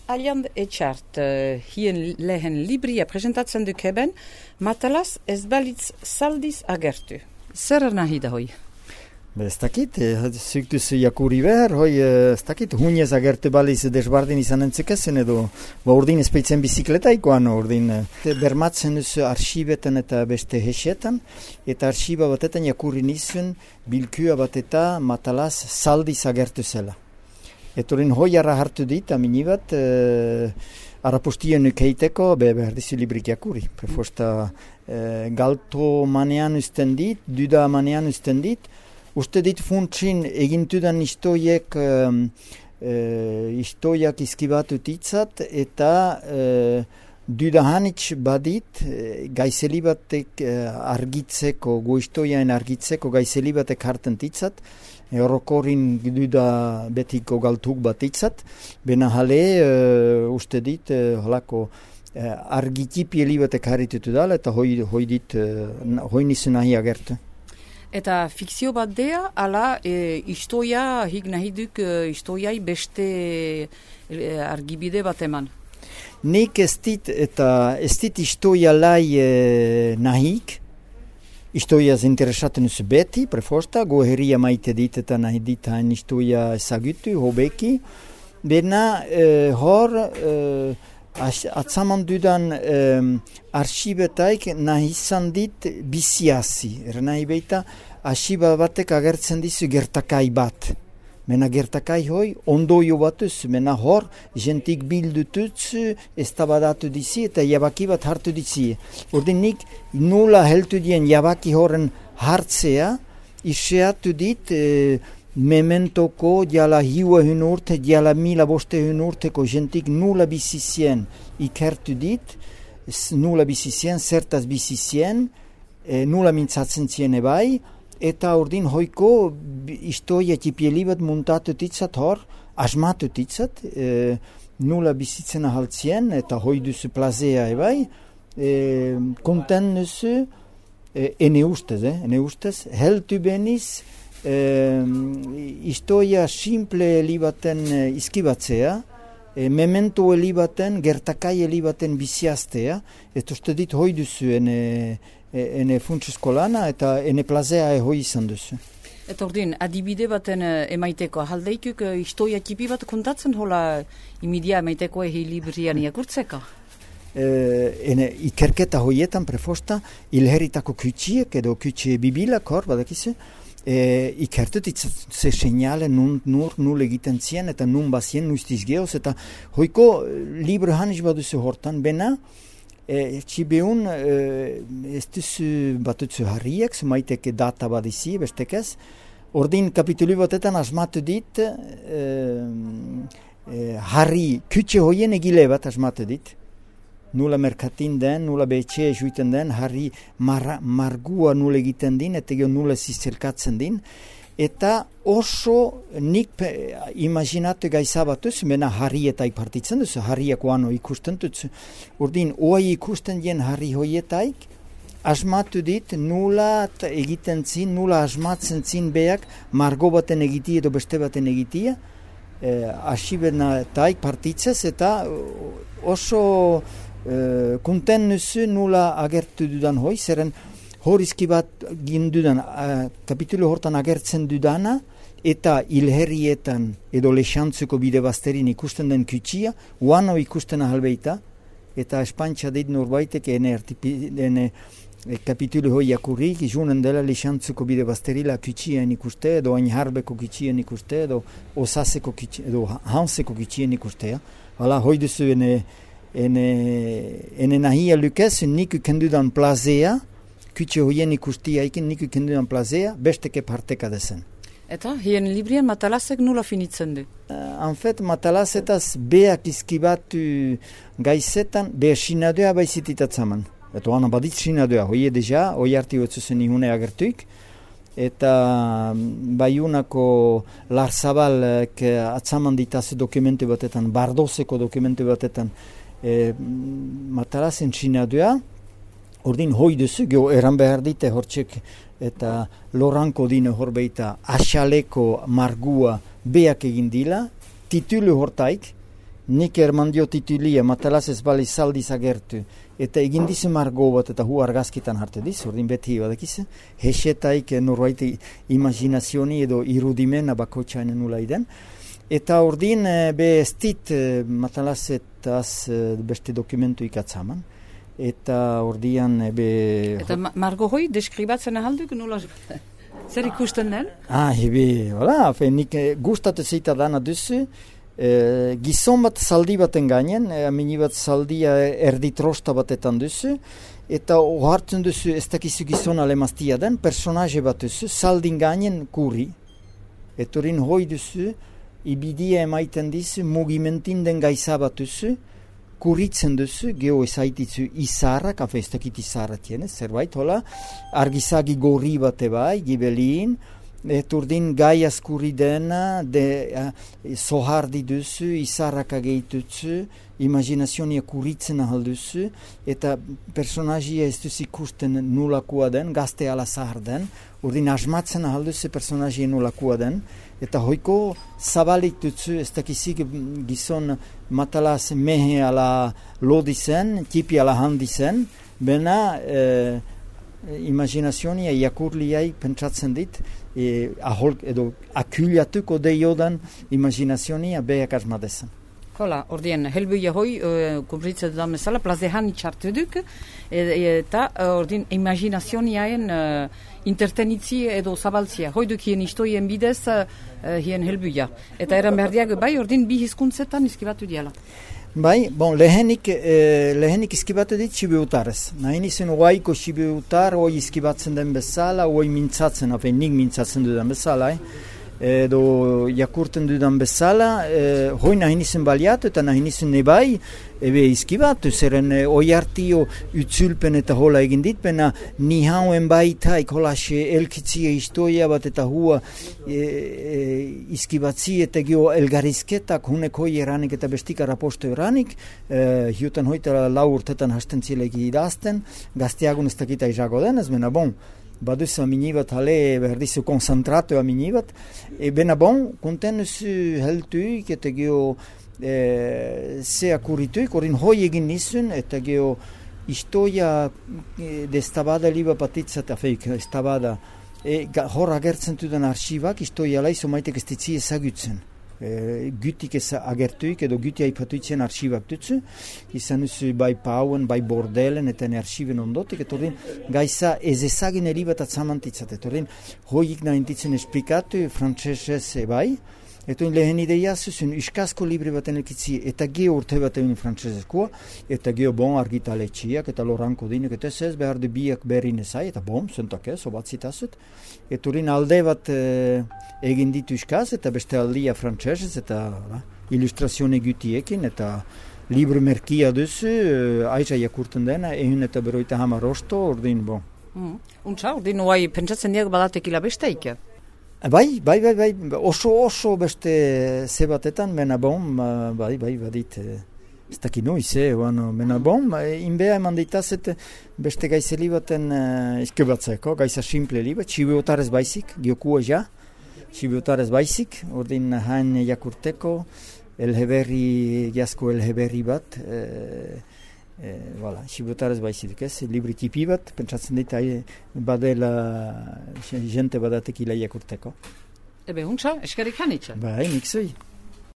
Aliand etxart, hien lehen libria presentatzen dukeben, matalaz ez balitz zaldiz agertu. Zer nahi da hoi? Ez dakit, zuk duzu jakuri behar, ez dakit, hunez agertu baliz desbardin izan entzekezen edo, urdin espeitzen bizikletaikoan, urdin bermatzen duzu arxibetan eta beste hesetan, eta arxiba batetan jakuri nizun bilkua bat eta matalaz zaldiz agertu zela. Eta hori hoiara hartu dit, amini bat, arapustien nukeiteko, behar dizu librik jakuri. Prefosta galto manean usten dit, duda manean usten dit, uste dit funtsin egintudan istoiek istoiak izkibatu titzat eta duda hanitz badit gaizeli batek argitzeko, goistoiaen argitzeko gaizeli batek harten titzat, horrokorin duda betiko galtuk bat titzat, bena jale uste dit halako argitipieli batek harritutu dala eta hoi nizu nahi agertu. Eta fikzio bat dea, ala istoia, hik nahi duk istoiai beste argibide bat eman? Nik ez dit istoia lai nahik, istoia interesatzen uz beti, prefosta, goheria maite dit eta nahi dit hain istoia ezagutu, hobeki, bena hor atzaman dudan arxibetaik nahi izan dit biziazi. Nahi beita, arxiba batek agertzen dizu gertakai bat. Mena gertakai hoi, ondoio batuz, mena hor, jentik bildutuz, eztabadatu dizi eta jabaki bat hartu dizi. Ordin nik nula heltu dien jabaki horren hartzea, iseatu dit mementoko diala hiua urte, diala 1500 urteko jentik nula bizizien ikertu dit, nula bizizien, zertaz bizizien, nula mintzatzen zien ebai, eta ordin hoiko istoia tipieli bat muntatu titzat hor, asmatu titzat, nula bizitzen ahaltzien, eta hoi duzu plazea ebai, konten duzu, ene ustez, heltu beniz, istoia simple elibaten izkibatzea, memento elibaten, gertakai elibaten biziaztea, eta uste dit hoi duzu ene funtsuzko lana eta ene plazea hoi izan duzu. Eta ordin, adibide baten emaiteko, haldeikuk istoia tipi bat kontatzen hola imidia emaiteko librian iakurtzeko? Ikerketa hoietan prefosta, ilheritako kutsiek edo kutsie bibilak hor, badakizu, ikertut ze seinale nur egiten zien eta nun bazien nuiztiz gehoz eta hoiko libro haniz baduzu hortan, bena txibeun ez duzu batutzu harriek, zumaiteke data badizi, bestekez, ordin kapitulu batetan asmatu dit harri kutxe hoien egile bat asmatu dit. Nula merkatin den, nula betxea juiten den, harri margua nula egiten din, eta nula zizerkatzen din. Eta oso nik imaginatu gaizabatuz, mena harrietaik partitzen duzu, harriak oano ikusten dutzu. Urdin, oai ikusten dien harri hoietaik, asmatu dit, nula egiten zin, nula asmatzen zin beak, margo baten egitia edo beste baten egitia, asibenataik partitzez, eta oso konten nuzu nula agertu dudan hoi, zeren horizki bat gindudan kapitulu hortan agertzen dudana, eta ilherrietan edo lexantzuko bide bazterin ikusten den kutsia, uano ikusten ahalbeita, eta espantxa dit norbaitek ene kapitulu hoi jakurrik, izunen dela lexantzuko bide bazterila kutsien ikuste, edo ainharbeko kutsien ikuste, edo osaseko kutsien, edo hanseko kutsien ikustea. Hala, hoi duzu ene nahia lukez, niku kendudan plazea, kutxe hoien ikustia ikin niku kendudan plazea, besteke parteka dezen. Eta, hien librian matalazek nula finitzen du? En fet, matalazetaz beak izkibatu gaizetan, beha sinadua baizititatzaman. Eta oana badit sinadua, hoie deja, hoi arti hotzuzen ihune agertuik, eta baiunako Larzabalek atzaman ditazu dokumentu batetan, Bardozeko dokumentu batetan, matalazen sinadua, ordin hoi duzu, geho eran behar dite hortxek eta loranko dine horbeita asaleko margua beak egin dila, titulu hortaik, nik erman dio titulia, Matalas ez baliz saldiz agertu. Eta egin dizu margo bat eta hu argazkitan hartu dizu, ordin beti badakiz. Hesetaik norbait imaginazioni edo irudimena bakotxainen nula iden. Eta ordin be ez dit Matalasetaz beste dokumentu ikatzaman. Eta ordian be... Eta margo hoi deskribatzen ahalduk nola... Zer ikusten den? Voilà, nik gustatu zeita dana duzu. Gizon bat zaldi baten gainen, amini bat zaldia erdi trosta batetan duzu, eta ohartzen duzu ez dakizu gizon alemaztia den, personaje bat duzu, zaldin gainen kurri. Etorin hoi duzu, ibidia emaiten dizu, mugimentin den gaiza bat duzu, kurritzen duzu, geho ezaititzu izarra, kafe ez dakit izarra tienez, zerbait, hola, argizagi gorri bate bai, gibelin, Eturdin gai askurri dena, sohardi duzu, izarraka gehitutzu, imaginazionia kurritzen ahal duzu, eta personajia ez duzu ikusten nulakua den, gazte ala zahar den, urdin asmatzen ahal duzu personajia nulakua den, eta hoiko zabalik duzu, ez dakizik gizon Matalas mehe ala lodi zen, tipi ala handi zen, bena imaginazionia jakurliai pentsatzen dit, edo akuliatuko deiodan imaginazionia beak asmadezan. Hola, ordien, helbuia hoi, kumpritzen dudan bezala, plazehan itxartu duk, eta ordin imaginazionaen intertenitzi edo zabaltzia. Hoi duk hien istoien bidez hien helbuia. Eta eran berdiak bai, ordin bi hizkuntzetan izkibatu diala. Bai, lehenik izkibatu dit Sibiutarez. Nahin izen oaiko Sibiutar, oi izkibatzen den bezala, oi mintzatzen, nik mintzatzen dudan bezala, edo jakurten dudan bezala, hoi nahin izen baliatu eta nahin izen nebai, ebe izkibatu, zeren oi hartio utzulpen eta hola egin ditpena, ni hauen baita ikolaxe elkitzia historia bat eta hua izkibatzi eta gio elgarizketak hunek hoi eranik eta bestika raposto eranik, hiutan hoita 4 urtetan hasten zilegi idazten, gazteagun ez dakita izako denez, bena baduzu aminibat hale berdizu konzentratu aminibat, bena konten zu heltuik eta gio ze akurrituik, orin hoi egin nizun, eta gio istoia destabada liba patitzat afeik, estabada, hor agertzen duden arxibak, istoia laizo maitek ez ditzi ezagutzen. Gütik ez agertuik edo güti aipatuitzen arxibak dutzu, izan duzu bai pauen, bai bordelen eta arxiben ondotik, eta ordin gaiza ez ezagin eribat atzamantitzat, eta ordin hoik nahintitzen esplikatu frantzesez bai, eta lehen ideia zuzun iskazko libre baten elkitzi, eta geho urte bat egin frantzesezkoa, eta geho argitaletxiak, eta loranko dinek, eta ez behar du biak berrin ezai, eta zentak ez, obatzitazut, eta ordin alde bat egin ditu iskaz, eta beste aldia frantzesez, eta ilustrazione gutiekin, eta libro merkia duzu, aiza jakurten dena, egin eta beroita hamar osto, ordin, Untza, ordin, oai, pentsatzen diak badatekila besteik? Bai, oso beste zebatetan, mena badit, ez daki noiz, mena inbea eman ditazet beste gaizeli baten izkebatzeko, gaiza simple liba, txibiotarez baizik, giokua ja, txibiotarez baizik, ordin hain jakurteko, jazko elheberri bat, Sibutarez baizik ez, libri tipi bat, pentsatzen dit, badela jente badatek ila jakurteko. Ebe, huntza, eskerik hanitza? Bai, nik zui.